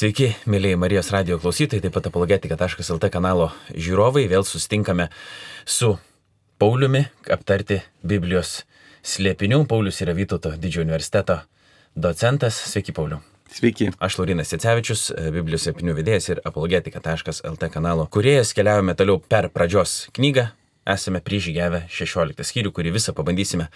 Sveiki, mėlyje Marijos radijo klausytojai, taip pat apologetika.lt kanalo žiūrovai. Vėl susitinkame su Pauliumi aptarti Biblijos slėpinių. Paulius yra Vytauto didžiojo universiteto docentas. Sveiki, Pauliu. Sveiki. Aš Laurynas Jacevičius, Biblijos slėpinių vedėjas ir apologetika.lt kanalo kūrėjas. Keliaujame toliau per pradžios knygą. Esame prižygiavę 16 skyrių, kurį visą pabandysime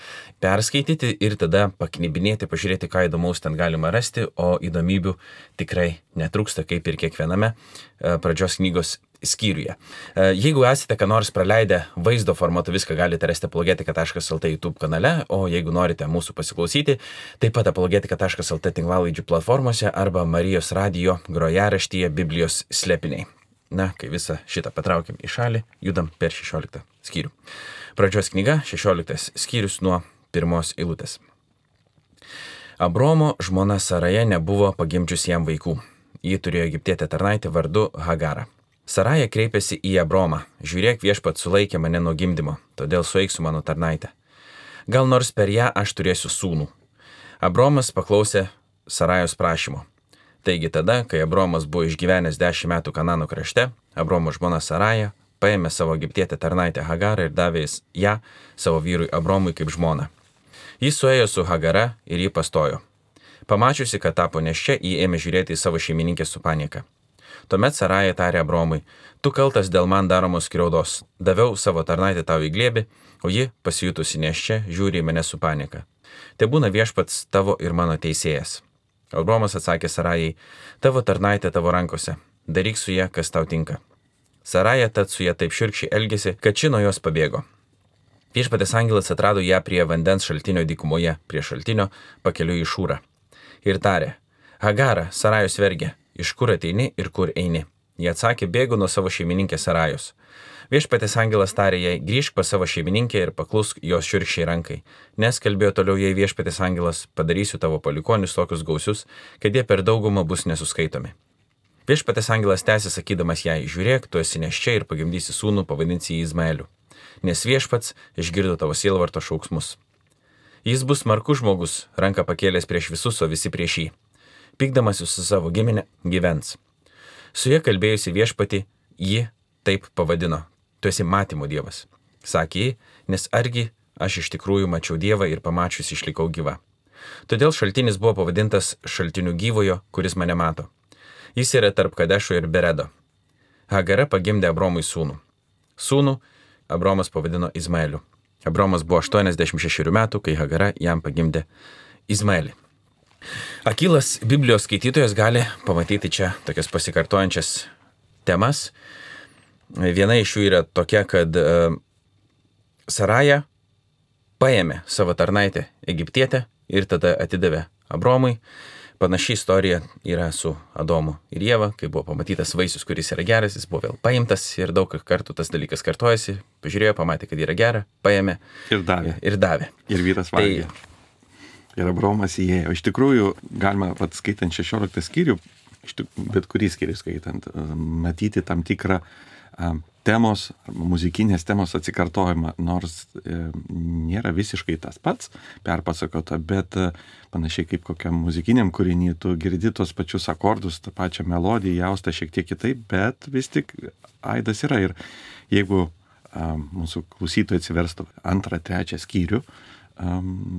perskaityti ir tada paknibinėti, pažiūrėti, ką įdomaus ten galima rasti, o įdomybių tikrai netrūksta, kaip ir kiekviename pradžios knygos skyriuje. Jeigu esate ką nors praleidę vaizdo formatu, viską galite rasti apologetika.lt YouTube kanale, o jeigu norite mūsų pasiklausyti, taip pat apologetika.lt tinklalaidžių platformose arba Marijos radijo grojaraštyje Biblijos slėpiniai. Na, kai visą šitą patraukiam į šalį, judam per 16 skyrių. Pradžios knyga, 16 skyrius nuo 1 eilutės. Abromo žmona Saraja nebuvo pagimdžius jam vaikų. Ji turėjo egiptietę tarnaitę vardu Hagarą. Saraja kreipėsi į Abromą. Žiūrėk, viešpats sulaikė mane nuo gimdymo, todėl sueik su mano tarnaitė. Gal nors per ją aš turėsiu sūnų. Abromas paklausė Sarajos prašymo. Taigi tada, kai Abromas buvo išgyvenęs 10 metų Kanano krašte, Abromo žmona Saraja paėmė savo egiptietę tarnaitę Hagarą ir davė ją savo vyrui Abromui kaip žmoną. Jis suėjo su Hagara ir jį pastojo. Pamačiusi, kad tapo nėščia, jį ėmė žiūrėti į savo šeimininkę su panieka. Tuomet Saraja tarė Abromui, tu kaltas dėl man daromos skriaudos. Daviau savo tarnaitę tau į glėbį, o ji, pasijutusi nėščia, žiūri į mane su panieka. Te būna viešpats tavo ir mano teisėjas. Abromas atsakė Sarajai, tavo tarnaitė tavo rankose, daryk su ją, kas tau tinka. Saraja tad su ją taip šiurkščiai elgėsi, kad ši nuo jos pabėgo. Viešpatės angelas atrado ją prie vandens šaltinio dykumoje, prie šaltinio pakeliui į Šūrą. Ir tarė, Hagara, Sarajos vergė, iš kur ateini ir kur eini? Jie atsakė, bėgu nuo savo šeimininkės Sarajos. Viešpatės angelas tarė jai, grįžk pas savo šeimininkę ir paklusk jos šiurkščiai rankai. Nes kalbėjo toliau jai viešpatės angelas, padarysiu tavo palikonius tokius gausius, kad jie per daugumą bus nesuskaitomi. Viešpatės angelas tęsė sakydamas jai, žiūrėk, tu esi nėščia ir pagimdysi sūnų, pavadinsi jį Izmaeliu. Nes viešpats išgirdo tavo sielvarto šauksmus. Jis bus smarkus žmogus, ranką pakėlęs prieš visus, o visi prieš jį. Pykdamasis su savo giminė gyvens. Su ja kalbėjusi viešpatį, ji taip pavadino. Tu esi matymo dievas. Sakė ji, nes argi aš iš tikrųjų mačiau dievą ir pamačius išlikau gyva. Todėl šaltinis buvo pavadintas šaltiniu gyvojo, kuris mane mato. Jis yra tarp Kadešo ir Beredo. Hagara pagimdė Abromui sūnų. Sūnų Abromas pavadino Izmaeliu. Abromas buvo 86 metų, kai Hagara jam pagimdė Izmaelį. Akylas Biblijos skaitytojas gali pamatyti čia tokias pasikartojančias temas. Viena iš jų yra tokia, kad Saraja paėmė savo tarnaitę egiptietę ir tada atidavė Abromui. Panaši istorija yra su Adomu ir Ieva, kai buvo pamatytas vaisius, kuris yra geras, jis buvo vėl paimtas ir daug kartų tas dalykas kartojasi. Pažiūrėjo, pamatė, kad yra gera, paėmė ir davė. Ir vyras valgė. Ir Abromas įėjo. Iš tikrųjų, galima, skaitant 16 skyrių, bet kurį skyrių skaitant, matyti tam tikrą temos, muzikinės temos atsikartojimą, nors nėra visiškai tas pats perpasakota, bet panašiai kaip kokiam muzikiniam kūrinį, tu girdi tos pačius akordus, tą pačią melodiją, jaustą šiek tiek kitaip, bet vis tik aidas yra. Ir jeigu mūsų klausytojai atsiverstų 2-3 skyrių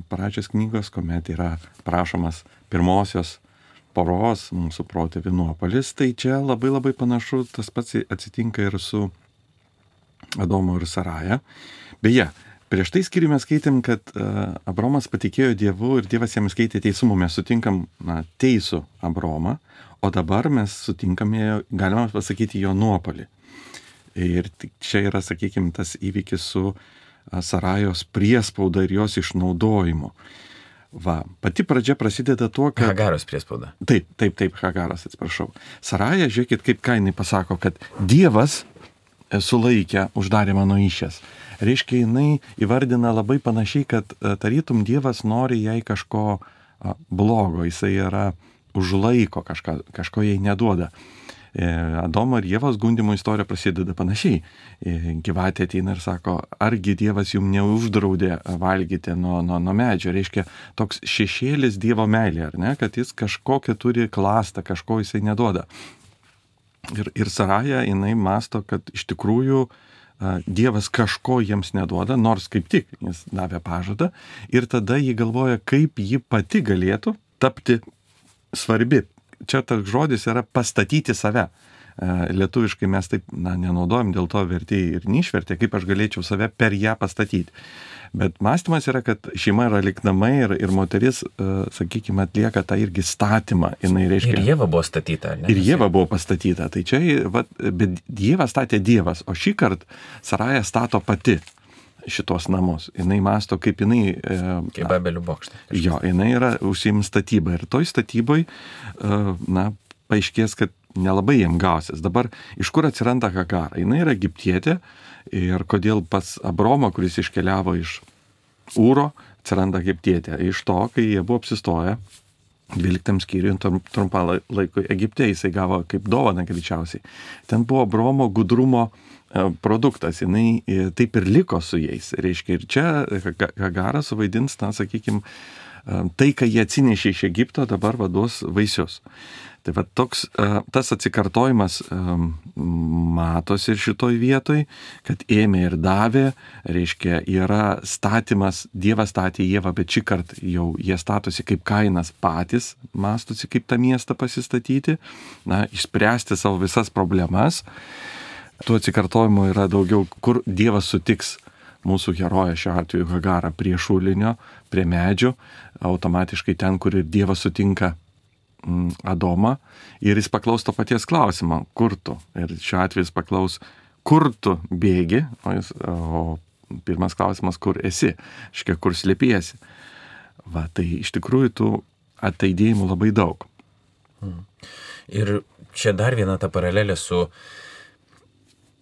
pradžios knygos, kuomet yra prašomas pirmosios poros, mūsų protėvių nuopuolis, tai čia labai labai panašu, tas pats atsitinka ir su Adomu ir Saraja. Beje, prieš tai skyrių mes skaitėm, kad Abromas patikėjo Dievu ir Dievas jam skaitė teisumų. Mes sutinkam teisų Abromą, o dabar mes sutinkame, galima pasakyti, jo nuopuolį. Ir čia yra, sakykime, tas įvykis su Sarajos priespauda ir jos išnaudojimu. Pati pradžia prasideda tuo, kad... Hagaros priespauda. Taip, Hagaros, atsiprašau. Saraja, žiūrėkit, kaip ką jinai pasako, kad Dievas sulaikė, uždarė mano įsčias. Reiškia, jinai įvardina labai panašiai, kad tarytum Dievas nori jai kažko blogo, jisai yra užlaiko, kažko jai neduoda. Adomo ir Ievos gundimo istorija prasideda panašiai. Gyvatė ateina ir sako, argi Dievas jums neuždraudė valgyti nuo medžio. Reiškia, toks šešėlis Dievo meilė, ar ne, kad jis kažkokią turi klastą, kažko jisai neduoda. Ir Saraja, jinai masto, kad iš tikrųjų Dievas kažko jiems neduoda, nors kaip tik jis davė pažadą, ir tada jį galvoja, kaip ji pati galėtų tapti svarbi. Čia tas žodis yra pastatyti save. Lietuviškai mes taip nenaudojam, dėl to vertėjai ir neišvertė, kaip aš galėčiau save per ją pastatyti. Bet mąstymas yra, kad šeima yra lyg namai ir moteris, sakykime, atlieka tą irgi statymą. Reiškia, ir Ieva buvo statyta, ne? Ir Ieva buvo pastatyta. Tai čia, bet Dievą statė Dievas, o šį kartą Saraja stato pati šitos namus. Jinai masto, kaip jinai... Kaip Babelio bokštas. Jo, jinai yra užsiims statybą. Ir toj statyboj, paaiškės, kad nelabai jiem gausis. Dabar iš kur atsiranda Hagara? Jinai yra egiptietė ir kodėl pas Abromą, kuris iškeliavo iš Ūro, atsiranda egiptietė. Iš to, kai jie buvo apsistoję 12 skyriui trumpą laikui Egipte, jisai gavo kaip dovaną greičiausiai. Ten buvo Abromo gudrumo produktas, jinai taip ir liko su jais. Reiškia, ir čia Hagara suvaidins, sakykime, tai, ką jie atsinešė iš Egipto, dabar vaduos vaisius. Tai va toks, tas atsikartojimas matosi ir šitoj vietoj, kad ėmė ir davė, reiškia, yra statymas, Dievas statė Ievą, bet šį kartą jau jie statosi kaip Kainas patys, mastosi kaip tą miestą pasistatyti, išspręsti savo visas problemas. Tų atsikartojimų yra daugiau, kur Dievas sutiks mūsų heroją, šiuo atveju Hagarą, prie šulinio, prie medžių, automatiškai ten, kur ir Dievas sutinka Adomą, ir jis paklaus to paties klausimo, kur tu? Ir šiuo atveju jis paklaus, kur tu bėgi, o pirmas klausimas, kur esi, iškia, kur slėpiesi. Va, tai iš tikrųjų tų ataidėjimų labai daug. Ir čia dar viena ta paralelė su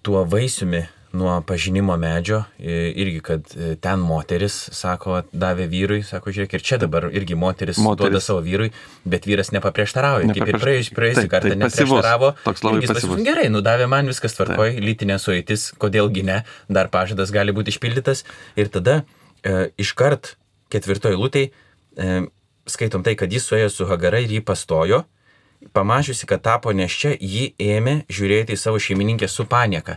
tuo vaisiumi nuo pažinimo medžio, irgi, kad ten moteris, sako, davė vyrui, sako, žiūrėk, ir čia dabar irgi moteris duoda savo vyrui, bet vyras nepaprieštarauja, kaip ir praėjusį kartą neprieštaravo. Irgi pasivus. Gerai, davė man, viskas tvarkoj, lytinė sueitis, kodėlgi ne, dar pažadas gali būti išpildytas. Ir tada iškart 4 eilutėj skaitom tai, kad jis suėjo su Hagara ir jį pastojo. Pamačiusi, kad tapo nėščia, ji ėmė žiūrėti į savo šeimininkę su panieka.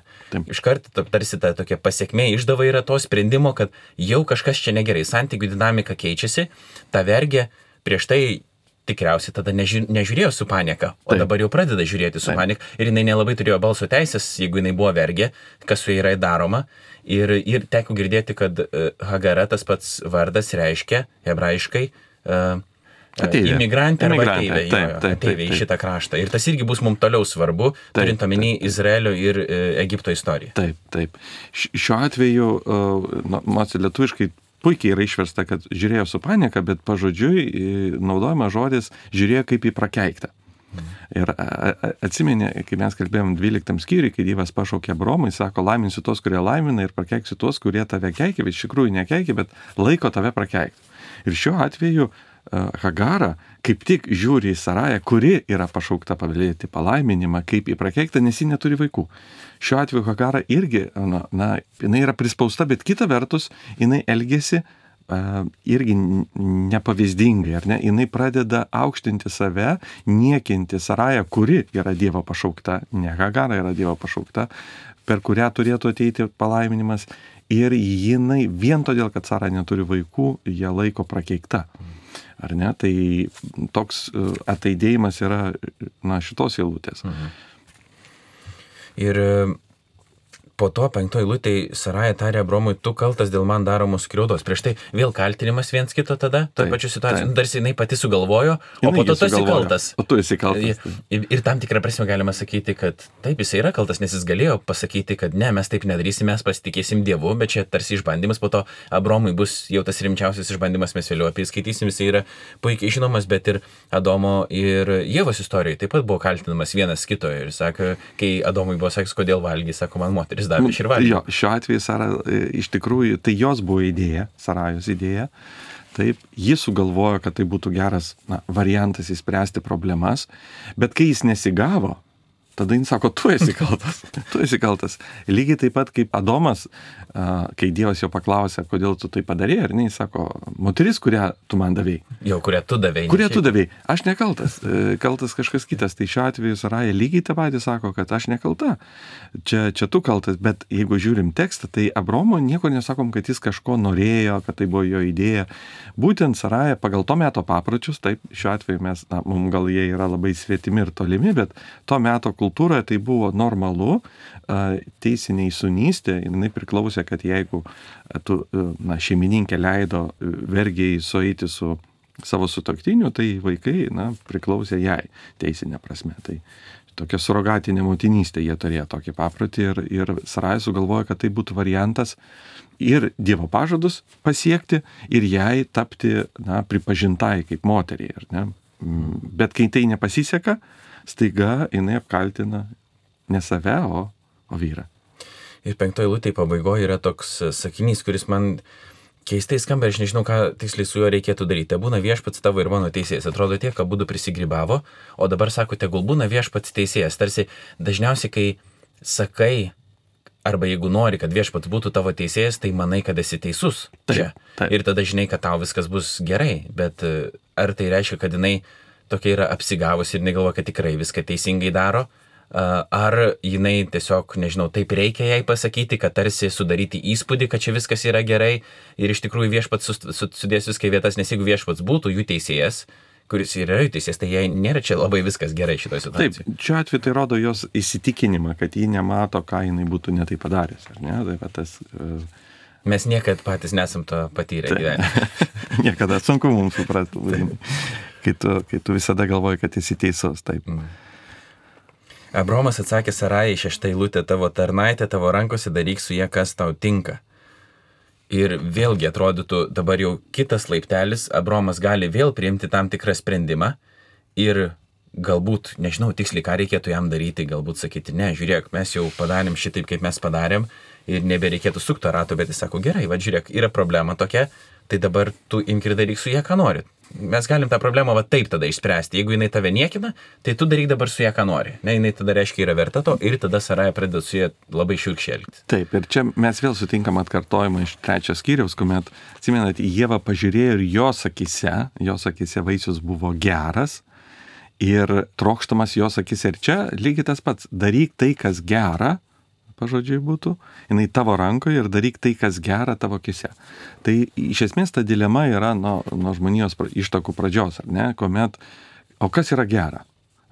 Iškart tarsi ta tokia pasiekmė išdava yra to sprendimo, kad jau kažkas čia negerai, santykių dinamika keičiasi, ta vergė prieš tai tikriausiai tada nežiūrėjo su panieka, o dabar jau pradeda žiūrėti su panieka ir jinai nelabai turėjo balso teisės, jeigu jinai buvo vergė, kas su jai yra daroma. Ir teko girdėti, kad Hagara, tas pats vardas, reiškia hebrajiškai imigrantė arba ateivė į šitą kraštą. Ir tas irgi bus mums toliau svarbu, turint omeny Izraelio ir Egipto istoriją. Taip. Šiuo atveju, lietuviškai puikiai yra išversta, kad žiūrėjo su panieka, bet pažodžiui naudojama žodis žiūrėjo kaip į prakeiktą. Ir atsimeni, kai mes kalbėjom 12 skyriui, kai Dievas pašaukė Abromą, jis sako, laiminsiu tos, kurie laimina, ir prakeiksiu tos, kurie tave keikia, bet iš tikrųjų nekeikia, bet laiko tave prakeikti. Ir šiuo atveju Hagara kaip tik žiūri į Sarają, kuri yra pašaukta paveldėti palaiminimą, kaip į prakeiktą, nes ji neturi vaikų. Šiuo atveju Hagara irgi, jinai yra prispausta, bet kita vertus, jinai elgiasi irgi nepavyzdingai, ar ne? Jinai pradeda aukštinti save, niekinti Sarają, kuri yra Dievo pašaukta, ne Hagara yra Dievo pašaukta, per kurią turėtų ateiti palaiminimas, ir jinai vien todėl, kad Sara neturi vaikų, ją laiko prakeikta. Ar ne? Tai toks ataidėjimas yra šitos eilutės. Ir po to 5 eilutėj Saraja tarė Abromui, tu kaltas dėl man daromos skriaudos. Prieš tai vėl kaltinimas viens kito tada, tą pačią situaciją. Tarsi jinai pati sugalvojo, o po to tu esi kaltas. O tu esi kaltas. Ir tam tikrą prasme galima sakyti, kad taip, jis yra kaltas, nes jis galėjo pasakyti, kad ne, mes taip nedarysim, mes pasitikėsim Dievu, bet čia tarsi išbandymas, po to Abromui bus jau tas rimčiausias išbandymas, mes vėliau apie jį skaitysim, jis yra puikiai žinomas, bet ir Adomo ir Ievos istorijoje taip pat buvo kaltinamas vienas kito ir sako, kai Adomui buvo sakęs, kodėl valgy, sako, man moteris davė širvalgį. Jo, šiuo atveju Sara iš tikrųjų, tai jos buvo idėja, Sarajos idėja. Taip, jis sugalvojo, kad tai būtų geras variantas įspręsti problemas, bet kai jis nesigavo, tada jis sako, tu esi kaltas. Lygiai taip pat kaip Adomas, kai Dievas jo paklausė, kodėl tu tai padarėjai, ir jis sako, moteris, kurią tu man davėjai. Jau, kurią tu davėjai. Kurią tu davėjai. Aš nekaltas, kaltas kažkas kitas. Tai šiuo atveju Saraja lygiai tą patį sako, kad aš nekalta. Čia tu kaltas, bet jeigu žiūrim tekstą, tai Abromo nieko nesakom, kad jis kažko norėjo, kad tai buvo jo idėja. Būtent Saraja pagal to meto papročius, taip, šiuo atveju mums gal jie yra labai svetimi ir tolimi, bet to meto kultūroje tai buvo normalu, teisiniai sunystė, jinai priklausė, kad jeigu šeimininkė leido vergiai sueiti su savo sutuoktiniu, tai vaikai priklausė jai teisinė prasme. Tai tokia surogatinė motinystė jie turėjo tokį paprotį ir Saraja sugalvojo, kad tai būtų variantas ir Dievo pažadus pasiekti ir jai tapti pripažintai kaip moteriai. Bet kai tai nepasiseka, staiga jinai apkaltina ne save, o vyrą. Ir 5 eilutėje pabaigoje yra toks sakinys, kuris man keistai skamba, aš nežinau, ką tiksliai su juo reikėtų daryti. Te būna viešpats tavo ir mano teisėjas. Atrodo tiek, kad abudu prisigrybavo, o dabar sako, tegul būna viešpats teisėjas. Tarsi dažniausiai, kai sakai, arba jeigu nori, kad viešpats būtų tavo teisėjas, tai manai, kad esi teisus čia. Taip. Ir tada žinai, kad tau viskas bus gerai. Bet ar tai reiškia, kad jinai tokia yra apsigavusi ir negalvoja, kad tikrai viską teisingai daro? Ar jinai tiesiog, nežinau, taip reikia jai pasakyti, kad tarsi sudaryti įspūdį, kad čia viskas yra gerai ir iš tikrųjų viešpats sudės viską į vietas, nes jeigu viešpats būtų jų teisėjas, kuris yra jų teisėjas, tai jai nėra čia labai viskas gerai šitoje situacijoje. Taip, šiuo atveju tai rodo jos įsitikinimą, kad ji nemato, ką jinai būtų netai padaręs. Ar ne? Tai tas, Mes niekad patys nesam to patyrę gyvenime. Niekada sunku mums suprasti, kai tu visada galvoji, kad esi teisus. Taip. Abromas atsakė Sarajai 6 eilutė, tavo tarnaitė, tavo rankose daryk su jie, kas tau tinka. Ir vėlgi atrodytų dabar jau kitas laiptelis, Abromas gali vėl priimti tam tikrą sprendimą ir galbūt, nežinau tiksliai, ką reikėtų jam daryti, galbūt sakyti, ne, žiūrėk, mes jau padarėm šitaip, kaip mes padarėm ir nebereikėtų sukto rato, bet jis sako, gerai, va žiūrėk, yra problema tokia, tai dabar tu imk ir daryk su ją, ką nori. Mes galim tą problemą va taip tada išspręsti. Jeigu jinai tave niekina, tai tu daryk dabar su ją, ką nori. Ne, jinai tada reiškia yra verta to ir tada Saraja pradeda su ją labai šiurkščiai elgtis. Taip, ir čia mes vėl sutinkam atkartojimą iš 3 skyriaus, kuomet, atsimenat, Ieva pažiūrėjo ir jos akise vaisius buvo geras ir trokštamas jos akise. Ir čia lygiai tas pats, daryk tai, kas gera, pažodžiui būtų, jinai tavo rankoje ir daryk tai, kas gera tavo akise. Tai iš esmės ta dilema yra nuo žmonijos ištakų pradžios, ar ne, kuomet, o kas yra gera?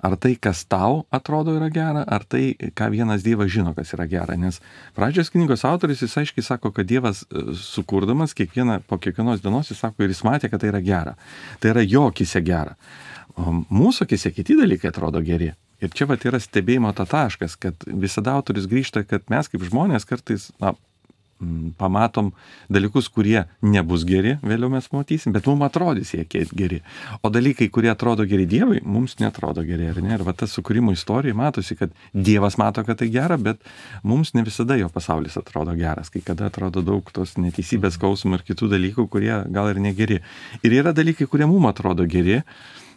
Ar tai, kas tau atrodo yra gera, ar tai, ką vienas Dievas žino, kas yra gera? Nes pradžios knygos autoris jis aiškiai sako, kad Dievas sukurdamas po kiekvienos dienos jis sako ir jis matė, kad tai yra gera. Tai yra jo akise gera. O mūsų akise kiti dalykai atrodo geri. Ir čia vat yra stebėjimo taškas, kad visada autoris grįžta, kad mes kaip žmonės kartais pamatom dalykus, kurie nebus geri, vėliau mes matysim, bet mums atrodys jie geri. O dalykai, kurie atrodo geri Dievui, mums netrodo geri, ar ne? Ir va tas sukūrimo istorija matosi, kad Dievas mato, kad tai gera, bet mums ne visada jo pasaulis atrodo geras, kai kada atrodo daug tos neteisybės, skausmų ir kitų dalykų, kurie gal ir negeri. Ir yra dalykai, kurie mums atrodo geri,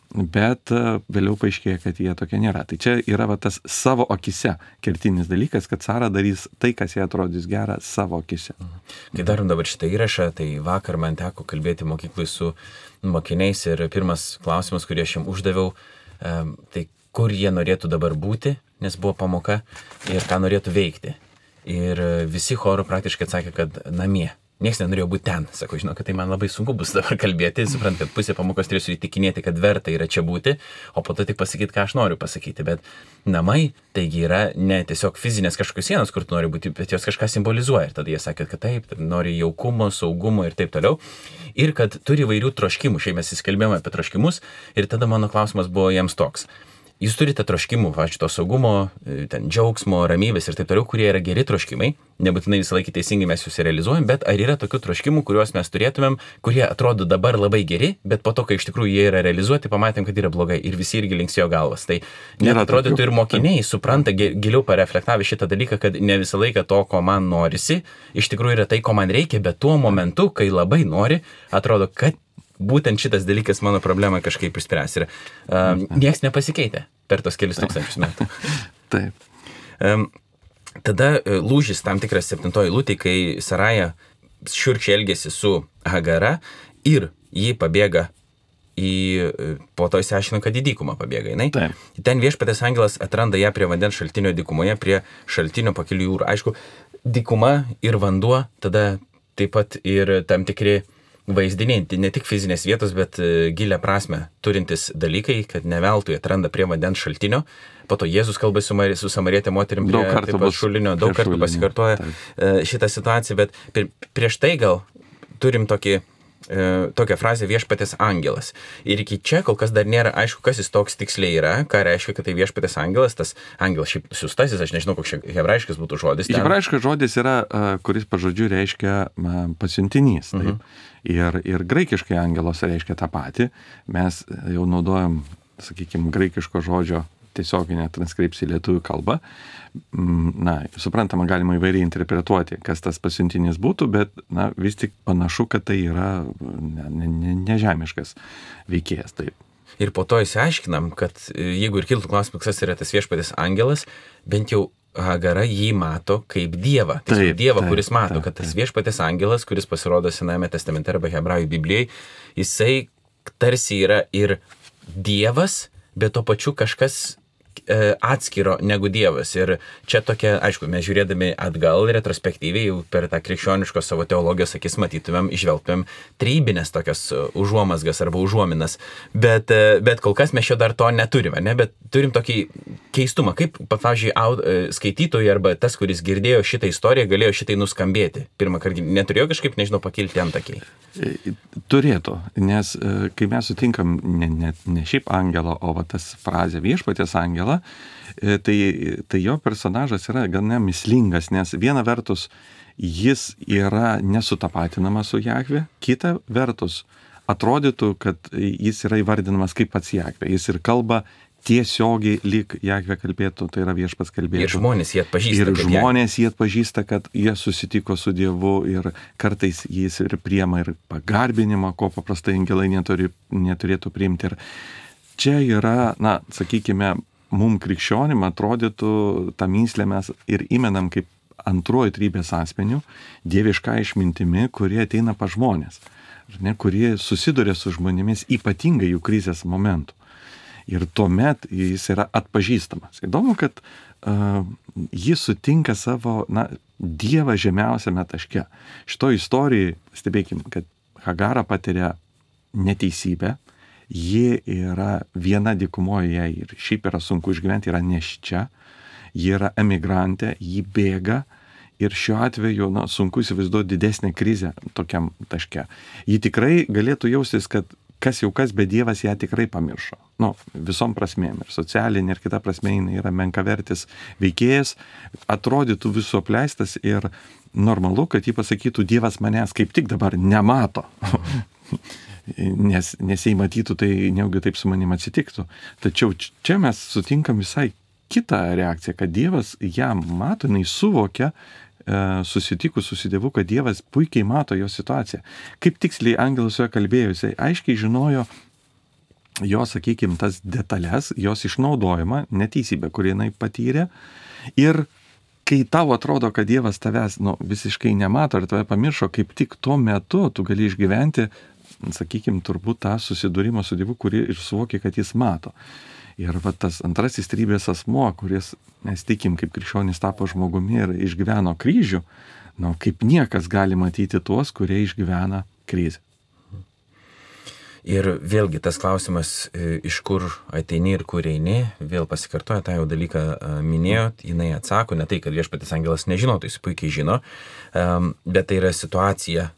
bet vėliau paaiškėja, kad jie tokie nėra. Tai čia yra va tas savo akise kertinis dalykas, kad Sara darys tai, kas jai atrodys gera savo akise. Kai darom dabar šitą įrašą, tai vakar man teko kalbėti mokyklai su mokiniais ir pirmas klausimas, kurį aš jam uždaviau, tai kur jie norėtų dabar būti, nes buvo pamoka, ir ką norėtų veikti. Ir visi choro praktiškai atsakė, kad namie. Niekas nenorėjo būti ten. Sako, žinau, kad tai man labai sunku bus dabar kalbėti. Suprant, kad pusė pamokos turėsiu įtikinėti, kad verta yra čia būti, o po to tik pasakyti, ką aš noriu pasakyti. Bet namai, taigi yra ne tiesiog fizinės kažkokios sienos, kur tu nori būti, bet jos kažką simbolizuoja. Ir tada jie sakė, kad taip, nori jaukumo, saugumo ir taip toliau. Ir kad turi įvairių troškimų. Šiai mes įskelbėjome apie troškimus. Ir tada mano klausimas buvo jiems toks. Jūs turite troškimų, šito saugumo, ten džiaugsmo, ramybės ir taip toliau, kurie yra geri troškimai, nebūtinai visą laiką teisingai mes juos realizuojam, bet ar yra tokių troškimų, kuriuos mes turėtumėm, kurie atrodo dabar labai geri, bet po to, kai iš tikrųjų jie yra realizuoti, pamatėm, kad yra blogai ir visi irgi linksėjo galvas. Tai net atrodytų ir mokiniai supranta, giliau pareflektavę šitą dalyką, kad ne visą laiką to, ko man norisi, iš tikrųjų yra tai, ko man reikia, bet tuo momentu, kai labai nori, atrodo, kad būtent šitas dalykas mano problemą kažkaip išspręs. Ir nieks nepasikeitė per tos kelis tūkstančius metų. Taip. Tada lūžis tam tikras 7 eilutė, kai Saraja šiurkščiai elgėsi su Hagara ir jį pabėga po to įsiaiškino, kad į dykumą pabėga jinai. Taip. Ten viešpatės angelas atranda ją prie vandens šaltinio dykumoje, prie šaltinio pakelių jūrų. Aišku, dykuma ir vanduo, tada taip pat ir tam tikri vaizdiniai, ne tik fizinės vietos, bet gilę prasme turintis dalykai, kad ne veltui atranda prie vandens šaltinio. Po to Jėzus kalba su samarietė moterim prie šulinio, daug kartų pasikartoja šitą situaciją, bet prieš tai gal turim tokią frazę viešpatės angelas. Ir iki čia kol kas dar nėra aišku, kas jis toks tiksliai yra, ką reiškia, kad tai viešpatės angelas, tas angelas šiaip siųstasis, aš nežinau, koks hebrajiškas būtų žodis. Hebrajiškas žodis yra, kuris pažodžiu reiškia pasiuntinys. Taip. Ir graikiškai angelos reiškia tą patį. Mes jau naudojam, sakykime, graikiško žodžio tiesioginę transkripciją į lietuvių kalbą. Na, suprantama, galima įvairiai interpretuoti, kas tas pasiuntinys būtų, bet na, vis tik panašu, kad tai yra nežemiškas veikėjas. Taip. Ir po to įsiaiškinam, kad jeigu ir kiltų klausimas, kas yra tas viešpatės angelas, bent jau Hagara jį mato kaip Dievą. Tai Dievą, kuris mato, kad tas viešpatės angelas, kuris pasirodo Senajame testamente arba Hebrajų Biblijai, jisai tarsi yra ir Dievas, bet to pačiu kažkas atskiro negu Dievas. Ir čia tokia, aišku, mes žiūrėdami atgal retrospektyviai, jau per tą krikščioniškos savo teologijos akis matytumėm, išvelgtumėm trybinės tokias užuomasgas arba užuominas. Bet kol kas mes šio dar to neturime, ne? Bet turim tokį keistumą, kaip, pavyzdžiui, skaitytojai arba tas, kuris girdėjo šitą istoriją, galėjo šitai nuskambėti. Pirmą kartą neturėjo kažkaip, nežinau, pakilti antakiai. Turėtų, nes kai mes sutinkam ne šiaip angelą, o va tas frazė viešpatės angelą, tai jo personažas yra gana mįslingas, nes viena vertus jis yra nesutapatinamas su Jahve, kita vertus atrodytų, kad jis yra įvardinamas kaip pats Jahve. Jis ir kalba tiesiogiai lyg Jahve kalbėtų, tai yra viešpats kalbėtų. Ir žmonės jį atpažįsta. Ir žmonės jį atpažįsta, kad jie susitiko su Dievu ir kartais jis ir priema ir pagarbinimą, ko paprastai angelai neturėtų priimti. Ir čia yra, na, sakykime, mum krikščionim atrodytų tą mįslę mes ir įmenam kaip antruoju trybės asmeniu, dievišką išmintimi, kurie ateina pas žmonės, kurie susiduria su žmonėmis ypatingai jų krizės momentu. Ir tuomet jis yra atpažįstamas. Įdomu, kad jis sutinka savo, na, Dievą žemiausiame taške. Šito istorijai, stebėkim, kad Hagara patiria neteisybę, ji yra viena dykumoje, jai ir šiaip yra sunku išgyventi, yra nėščia, ji yra emigrantė, ji bėga ir šiuo atveju, na, sunku įsivaizduoti didesnę krizę tokiam taške. Ji tikrai galėtų jaustis, kad kas jau kas, bet Dievas ją tikrai pamiršo. Nu, visom prasmėm, ir socialinė, ir kita prasmė, jinai yra menkavertis veikėjas, atrodytų visų apleistas ir normalu, kad jį pasakytų, Dievas manęs kaip tik dabar nemato. nes jei matytų, tai neugi taip su manim atsitiktų. Tačiau čia mes sutinkam visai kitą reakciją, kad Dievas ją mato, jinai suvokia, susitikus su Dievu, kad Dievas puikiai mato jo situaciją. Kaip tiksliai angelas su juo kalbėjo, jisai aiškiai žinojo jo, sakykime, tas detalės, jos išnaudojimą, neteisybę, kurį jinai patyrė. Ir kai tau atrodo, kad Dievas tavęs visiškai nemato ir tave pamiršo, kaip tik tuo metu tu gali išgyventi, sakykime, turbūt tą susidūrimą su Dievu, kurį ir suvokia, kad jis mato. Ir va tas antrasis trybės asmuo, kuris, mes tikim, kaip krikščionis tapo žmogumi ir išgyveno kryžių, kaip niekas gali matyti tuos, kurie išgyvena krizę. Ir vėlgi tas klausimas, iš kur ateini ir kur eini, vėl pasikartoja, tą jau dalyką minėjot, jinai atsako, ne tai, kad viešpaties angelas nežino, tai jis puikiai žino, bet tai yra situacija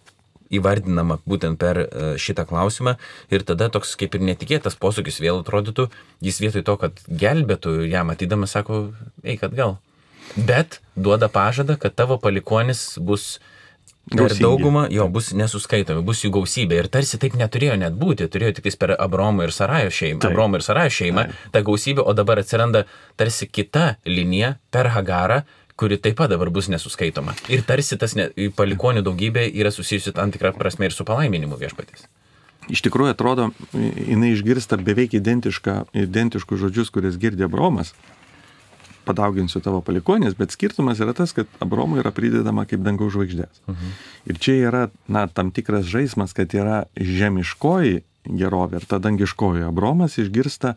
įvardinama būtent per šitą klausimą ir tada toks kaip ir netikėtas posūkis vėl atrodytų, jis vietoj to, kad gelbėtų ją matydamas, sako, eik atgal. Bet duoda pažadą, kad tavo palikonis bus per daugumą, bus nesuskaitomi, bus jų gausybė. Ir tarsi taip neturėjo net būti, turėjo tik per Abraomo ir Sarajos šeimą, ta gausybė, o dabar atsiranda tarsi kita linija per Hagarą, kuri taip pat dabar bus nesuskaitoma. Ir tarsi tas palikonių daugybė yra susijusi tam tikrą prasme ir su palaiminimu viešpaties. Iš tikrųjų atrodo, jinai išgirsta beveik identiškus žodžius, kurias girdė Abraomas. padauginsiu tavo palikuonis, bet skirtumas yra tas, kad Abromui yra pridedama kaip dangaus žvaigždės. Ir čia yra, tam tikras žaismas, kad yra žemiškoji gerovė ir ta dangiškoji. Abromas išgirsta,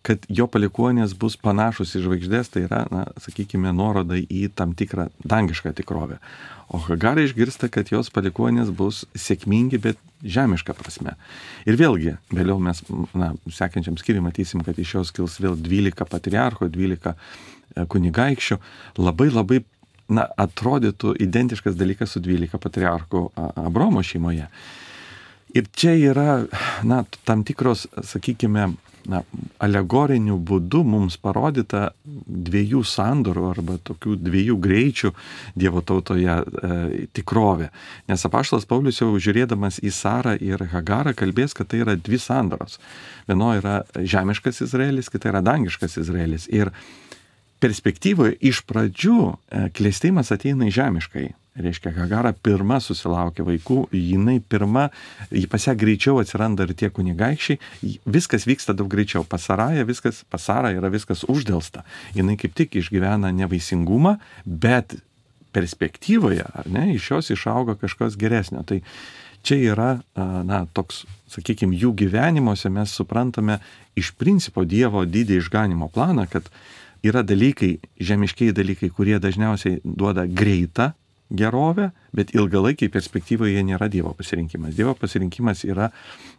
kad jo palikuonės bus panašus į žvaigždės, tai yra, sakykime, nuoroda į tam tikrą dangišką tikrovę. O Hagara išgirsta, kad jos palikuonės bus sėkmingi, bet žemiška prasme. Ir vėlgi, vėliau mes, sekančiam skyriui matysim, kad iš jos kils vėl 12 patriarchų, 12 kunigaikščių. Labai, atrodytų identiškas dalykas su 12 patriarchų Abromo šeimoje. Ir čia yra, tam tikros, sakykime, alegoriniu būdu mums parodyta dviejų sandorų arba tokių dviejų greičių Dievo tautoje tikrovė. Nes apaštalas Paulius jau žiūrėdamas į Sarą ir Hagarą kalbės, kad tai yra dvi sandoros. Vieno yra žemiškas Izraelis, kita yra dangiškas Izraelis. Ir perspektyvoje iš pradžių klėstėjimas ateina į žemiškai. Reiškia, Hagara pirma susilaukia vaikų, pas ją greičiau atsiranda ir tie kunigaikščiai, viskas vyksta daug greičiau. Pas Sarą yra viskas uždelsta. Jinai kaip tik išgyvena nevaisingumą, bet perspektyvoje, iš jos išauga kažkas geresnio. Tai čia yra, toks, sakykime, jų gyvenimuose mes suprantame iš principo Dievo didį išganimo planą, kad yra dalykai, žemiškiai dalykai, kurie dažniausiai duoda greitą gerovę, bet ilgalaikiai perspektyvoje nėra Dievo pasirinkimas. Dievo pasirinkimas yra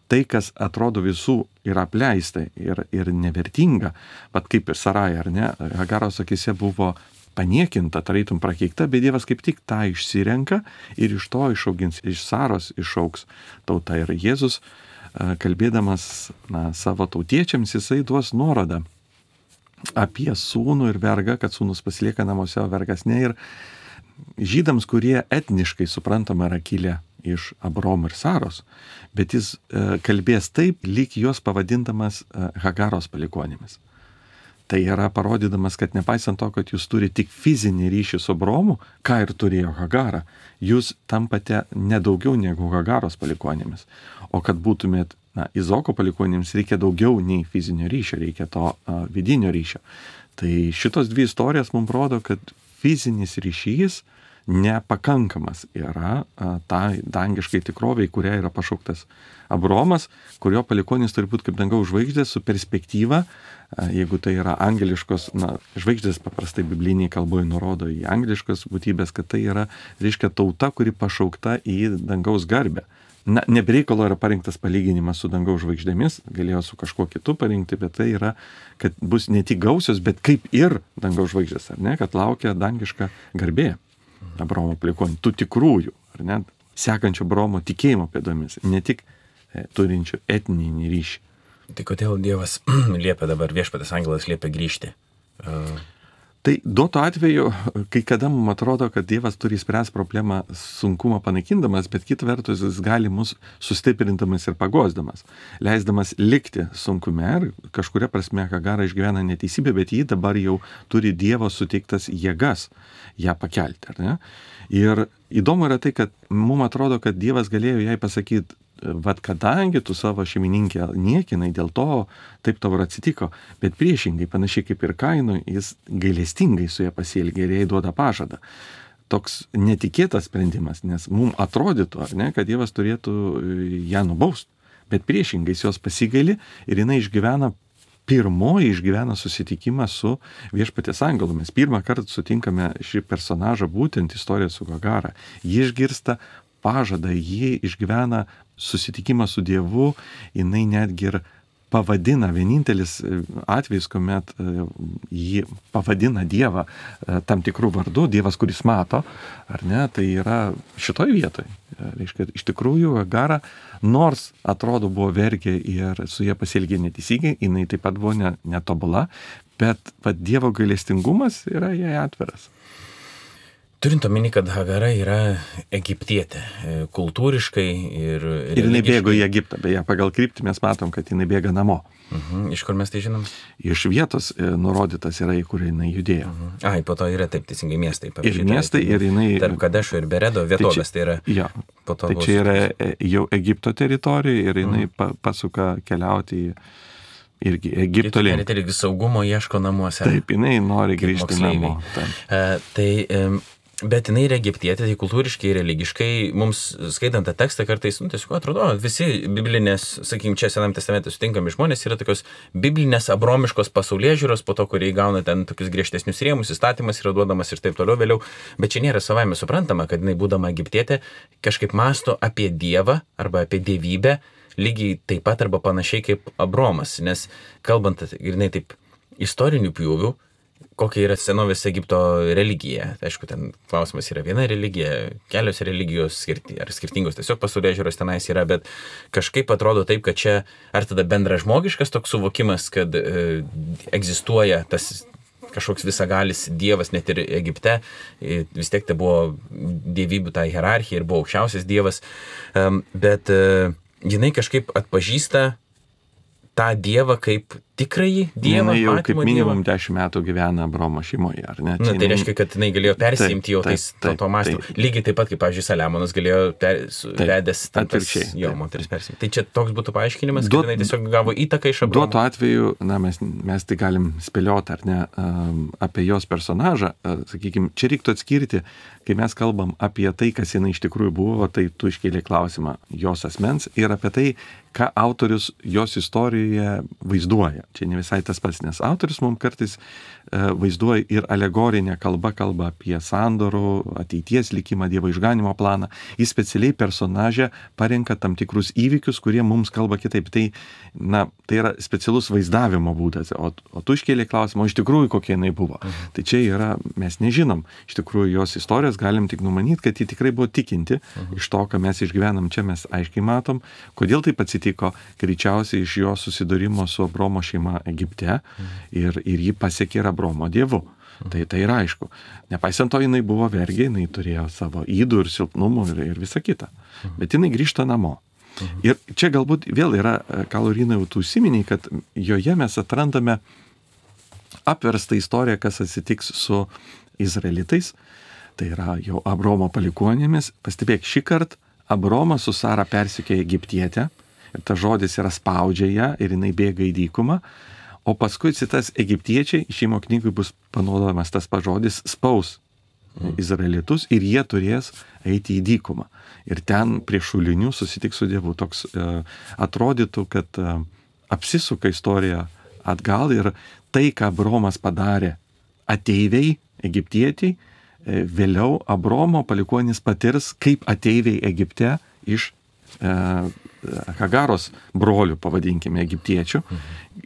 tai, kas atrodo visų yra apleista ir nevertinga, bet kaip ir Sarai, ar ne, Hagaros akise buvo paniekinta, tarytum prakeikta, bet Dievas kaip tik tą išsirenka ir iš to išaugins, iš Saros išaugs tauta. Ir Jėzus, kalbėdamas savo tautiečiams, jisai duos nuorodą apie sūnų ir vergą, kad sūnus pasilieka namuose, o vergas ne. Ir žydams, kurie etniškai suprantama yra kilę iš Abromo ir Saros, bet jis kalbės taip, lyg juos pavadindamas Hagaros palikuonimis. Tai yra parodydamas, kad nepaisant to, kad jūs turi tik fizinį ryšį su Abromu, ką ir turėjo Hagara, jūs tampate nedaugiau negu Hagaros palikuonimis. O kad būtumėt Izoko palikuonims, reikia daugiau nei fizinio ryšio, reikia to vidinio ryšio. Tai šitos dvi istorijos mums rodo, kad fizinis ryšys nepakankamas yra tai dangiškai tikroviai, kuria yra pašauktas Abromas, kurio palikuonis turi būti kaip dangaus žvaigždės su perspektyva, jeigu tai yra angeliškos, žvaigždės paprastai bibliniai kalboje nurodo į angeliškas būtybės, kad tai yra, reiškia, tauta, kuri pašaukta į dangaus garbę. Nebereikalo yra parinktas palyginimas su dangaus žvaigždėmis, galėjo su kažkuo kitu parinkti, bet tai yra, kad bus ne tik gausios, bet kaip ir dangaus žvaigždės, ar ne, kad laukia dangiška garbė Abromo palikuonių, tų tikrųjų, ar ne, sekančio Abromo tikėjimo pėdomis, ne tik turinčių etninį ryšį. Tai kodėl Dievas liepia dabar, viešpaties angelas liepia grįžti? Tai duoto atveju, kai kada mums atrodo, kad Dievas turi spręs problemą sunkumą panaikindamas, bet kita vertus jis gali mus sustiprindamas ir pagosdamas, leisdamas likti sunkume ir kažkuria prasme Hagara išgyvena neteisybę, bet ji dabar jau turi Dievo suteiktas jėgas ją pakelti, ar ne? Ir įdomu yra tai, kad mums atrodo, kad Dievas galėjo jai pasakyti, vat kadangi tu savo šeimininkę niekinai, dėl to taip tau ir atsitiko, bet priešingai, panašiai kaip ir Kainui, jis gailestingai su ją pasielgė ir jai duoda pažadą. Toks netikėtas sprendimas, nes mums atrodytų, ar ne, kad Dievas turėtų ją nubaust, bet priešingai jos pasigaili ir jinai išgyvena susitikimą su viešpaties angelu. Mes pirmą kartą sutinkame šį personažą būtent istoriją su Hagara. Ji išgirsta pažadą, ji išgyvena susitikimą su Dievu, jinai netgi ir pavadina, vienintelis atvejis, kuomet jį pavadina Dievą tam tikrų vardų, Dievas, kuris mato, ar ne, tai yra šitoj vietoj. Reiškia, iš tikrųjų, Hagara, nors atrodo buvo vergė ir su jie pasielgė neteisingai, jinai taip pat buvo netobula, bet Dievo gailestingumas yra jai atviras. Turint omeny, kad Hagara yra egiptietė, kultūriškai ir jinai bėgo į Egiptą, beje, pagal kryptį mes matom, kad jinai bėga namo. Iš kur mes tai žinom? Iš vietos nurodytas yra, į kur jinai judėjo. Ai, po to yra taip teisingai miestai. Ir miestai, ir jinai... Tarp Kadešo ir Beredo vietovės, tai yra... Jo, tai čia yra jau Egipto teritorija ir jinai pasuka keliauti į irgi Egipto link. Ir irgi saugumo ieško namuose. Taip, jinai nori grįžti namo. Bet jinai yra egiptietė, tai kultūriškai ir religiškai mums skaitant tą tekstą kartais, tiesiog atrodo, visi biblinės, sakykime, čia Senam testamente sutinkami žmonės yra tokios biblinės abromiškos pasaulėžiūros, po to, kurie įgauna ten tokius griežtesnius rėmus, įstatymas yra duodamas ir taip toliau vėliau, bet čia nėra savaime suprantama, kad jinai būdama egiptietė kažkaip mąsto apie Dievą arba apie dievybę, lygiai taip pat arba panašiai kaip Abromas, nes kalbant ir jinai taip istorinių pjūvių, kokia yra senovės Egipto religija. Aišku, ten klausimas yra viena religija, kelios religijos ar skirtingos tiesiog pasaulėžiūros tenais yra, bet kažkaip atrodo taip, kad čia ar tada bendražmogiškas toks suvokimas, kad egzistuoja tas kažkoks visagalis dievas net ir Egipte, vis tiek tai buvo dievybių tai hierarchija ir buvo aukščiausias dievas, bet jinai kažkaip atpažįsta tą dievą kaip tikrąjį dievą. Jinai jau kaip minimum 10 metų gyvena Abromo šeimoje, ar ne? Tai reiškia, kad jinai galėjo persiimti jau to masto. Lygiai taip pat, kaip, pavyzdžiui, Saliamonas galėjo vedęs moteris persiimti. Tai čia toks būtų paaiškinimas, kad jinai tiesiog gavo įtaką iš Abromo. Duotu atveju, mes tai galim spėlioti, ar ne, apie jos personažą. Sakykime, čia reiktų atskirti, kai mes kalbam apie tai, kas jinai iš tikrųjų buvo, tai tu iškėlė klausimą jos asmens ir apie tai, ką autorius jos istorijoje vaizduoja. Čia ne visai tas pats, nes autorius mums kartais vaizduoja ir alegorinę kalbą apie sandorų, ateities likimą, Dievo išganimo planą. Jis specialiai personažę parenka tam tikrus įvykius, kurie mums kalba kitaip. Tai yra specialus vaizdavimo būdas. O tu iškėlė klausimą, o iš tikrųjų kokia jinai buvo. Tai čia yra, mes nežinom. Iš tikrųjų jos istorijos galim tik numanyti, kad ji tikrai buvo tikinti. Iš to, ką mes išgyvenam čia, mes aiškiai matom. Kodėl taip atsitiko? Greičiausiai iš jo susidūrimo su Abromo šeima Egipte ir jį pasiekė ir Abromo dievu. Tai yra aišku. Nepaisant to, jinai buvo vergė, jinai turėjo savo ydų ir silpnumų ir visa kita. Bet jinai grįžta namo. Ir čia galbūt vėl yra, ką Laurynai jau tu užsiminiai, kad joje mes atrandame apverstą istoriją, kas atsitiks su izraelitais. Tai yra jau Abromo palikuonėmis. Pastebėk, šį kartą Abromas su Sara persikė Egiptietę. Ir tas žodis yra spaudžia ją ir jinai bėga į dykumą. O paskui tas egiptiečiai, šeimo knygui bus panaudojamas tas pažodis, spaus izraelitus ir jie turės eiti į dykumą. Ir ten prie šulinių susitiks su Dievu. Toks atrodytų, kad apsisuka istorija atgal ir tai, ką Abromas padarė ateiviai, egiptietiai, vėliau Abromo palikuonis patirs kaip ateiviai Egipte iš Hagaros brolių, pavadinkime, egiptiečių.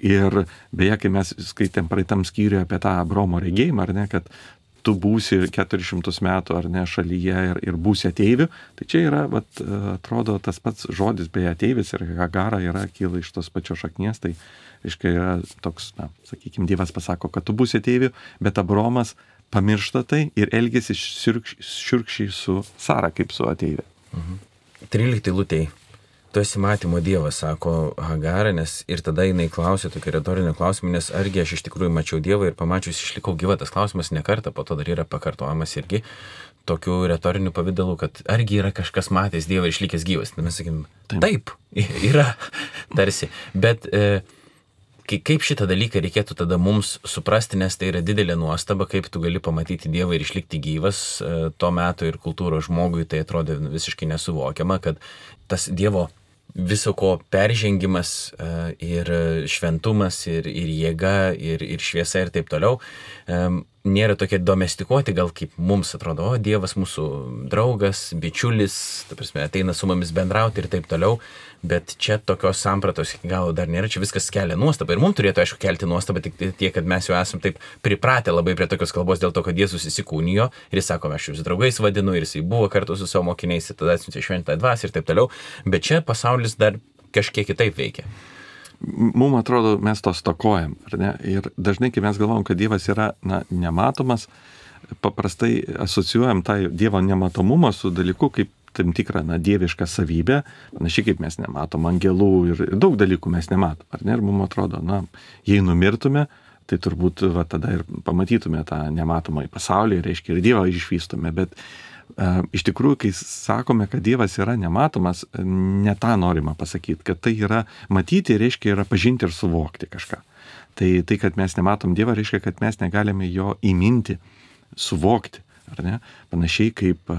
Ir beje, kai mes skaitėm praeitam skyriuje apie tą Abromo regėjimą, ar ne, kad tu būsi 400 metų, ar ne, šalyje ir būsi ateivių, tai čia yra, atrodo, tas pats žodis, beje, ateivis ir Hagara kyla iš tos pačios šaknies, tai reiškia yra toks, sakykime, Dievas pasako, kad tu būsi ateivių, bet Abromas pamiršta tai ir elgėsi šiurkščiai su Sara kaip su ateivė. 13 eilutėj. Tu esi matymo dievas, sako Hagara, nes ir tada jinai klausė tokį retorinį klausimą, nes argi aš iš tikrųjų mačiau Dievą ir pamačius išlikau gyva. Tas klausimas ne kartą, po to dar yra pakartojamas irgi tokiu retoriniu pavidalu, kad argi yra kažkas matęs Dievą ir išlikęs gyvas. Tai mes sakykim, taip, yra tarsi. Bet kaip šitą dalyką reikėtų tada mums suprasti, nes tai yra didelė nuostaba, kaip tu gali pamatyti Dievą ir išlikti gyvas. To meto ir kultūros žmogui tai atrodė visiškai nesuvokiama, kad tas Dievo viso ko peržengimas ir šventumas ir jėga ir šviesa ir taip toliau nėra tokie domestikuoti, gal kaip mums atrodo, Dievas mūsų draugas, bičiulis, ta prasme, ateina su mumis bendrauti ir taip toliau, bet čia tokios sampratos iki galo dar nėra, čia viskas kelia nuostabą ir mums turėtų, aišku, kelti nuostabą tik tiek, kad mes jau esam taip pripratę labai prie tokios kalbos dėl to, kad Jėzus įsikūnijo ir jis sako, aš jūs draugais vadinu ir jisai buvo kartu su savo mokiniais ir tada atsiuntė šventąją dvasią ir taip toliau, bet čia pasaulis dar kažkiek kitaip veikia. Mums atrodo, mes to stokojam, ar ne? Ir dažnai, kai mes galvom, kad Dievas yra nematomas, paprastai asocijuojam tą Dievo nematomumą su dalyku kaip tam tikrą dievišką savybę, panašiai kaip mes nematom angelų ir daug dalykų mes nematom, ar ne? Ir mums atrodo, jei numirtume, tai turbūt va, tada ir pamatytume tą nematomą į pasaulį, reiškia ir Dievą išvystume, bet iš tikrųjų, kai sakome, kad Dievas yra nematomas, ne tą norima pasakyti, kad tai yra matyti, reiškia yra pažinti ir suvokti kažką. Tai, kad mes nematom Dievą, reiškia, kad mes negalime jo įminti, suvokti, ar ne? Panašiai kaip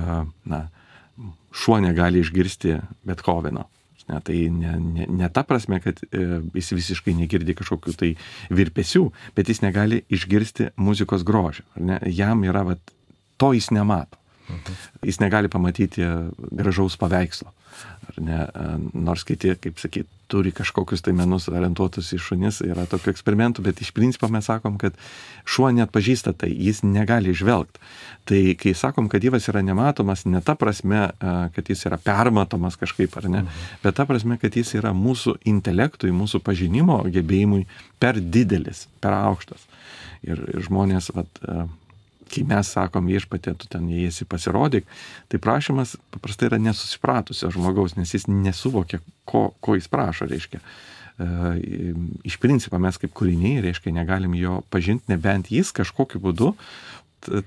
šuo negali išgirsti Bethoveno. Tai ne ta prasme, kad jis visiškai negirdi kažkokių tai virpesių, bet jis negali išgirsti muzikos grožio. Jam yra, to jis nemato. Jis negali pamatyti gražaus paveikslo. Nors kiti, kaip sakyt, turi kažkokius tai menus orientuotus į šunis, yra tokių eksperimentų, bet iš principo mes sakom, kad šuo neatpažįsta tai, jis negali žvelgti. Tai kai sakom, kad Dievas yra nematomas, ne ta prasme, kad jis yra permatomas kažkaip, ar ne, bet ta prasme, kad jis yra mūsų intelektui, mūsų pažinimo gebėjimui per didelis, per aukštas. Ir žmonės, kai mes sakom Viešpatie, tu ten įeisi pasirodyk, tai prašymas paprastai yra nesusipratusio žmogaus, nes jis nesuvokia, ko jis prašo, reiškia. Iš principo mes kaip kūriniai, reiškia, negalim jo pažinti, nebent jis kažkokiu būdu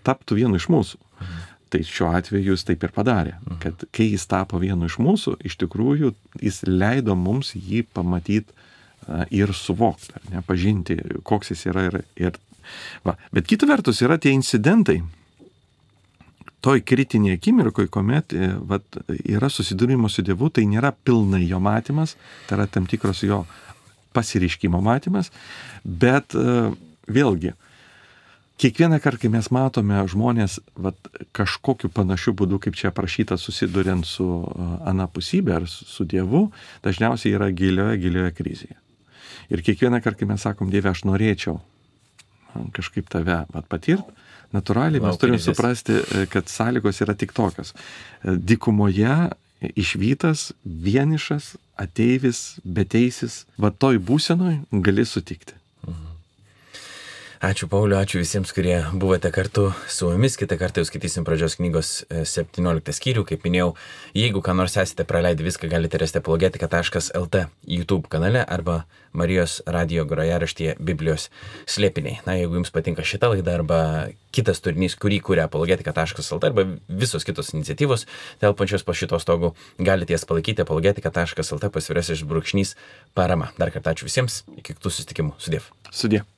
taptų vienu iš mūsų. Tai šiuo atveju jis taip ir padarė, kad kai jis tapo vienu iš mūsų, iš tikrųjų jis leido mums jį pamatyti ir suvokti, pažinti, koks jis yra ir va. Bet kita vertus yra tie incidentai, toj kritinėje akimirkoje, kuomet yra susidūrimo su Dievu, tai nėra pilnai jo matymas, tai yra tam tikros jo pasireiškimo matymas, bet vėlgi, kiekvieną kartą, kai mes matome žmonės kažkokiu panašiu būdu, kaip čia aprašyta, susiduriant su anapusybė ar su Dievu, dažniausiai yra gilioje krizėje. Ir kiekvieną kartą, kai mes sakom, Dieve, aš norėčiau kažkaip tave patirt, natūraliai mes turim suprasti, kad sąlygos yra tik tokios. Dykumoje išvytas, vienišas, ateivis, beteisis, toj būsenoj gali sutikti. Ačiū Pauliu, ačiū visiems, kurie buvote kartu su mumis. Kitą kartą jau skaitysim pradžios knygos 17 skyrių. Kaip minėjau, jeigu ką nors esate praleidę, viską galite rasti apologetika.lt YouTube kanale arba Marijos radijo grojaraštyje Biblijos slėpiniai. Jeigu jums patinka šita laida arba kitas turinys, kurį kuria apologetika.lt arba visos kitos iniciatyvos telpančios po šito stogu, galite jas palaikyti apologetika.lt /parama. Dar kartą ačiū visiems, iki kitų susitikimų. Sudiev.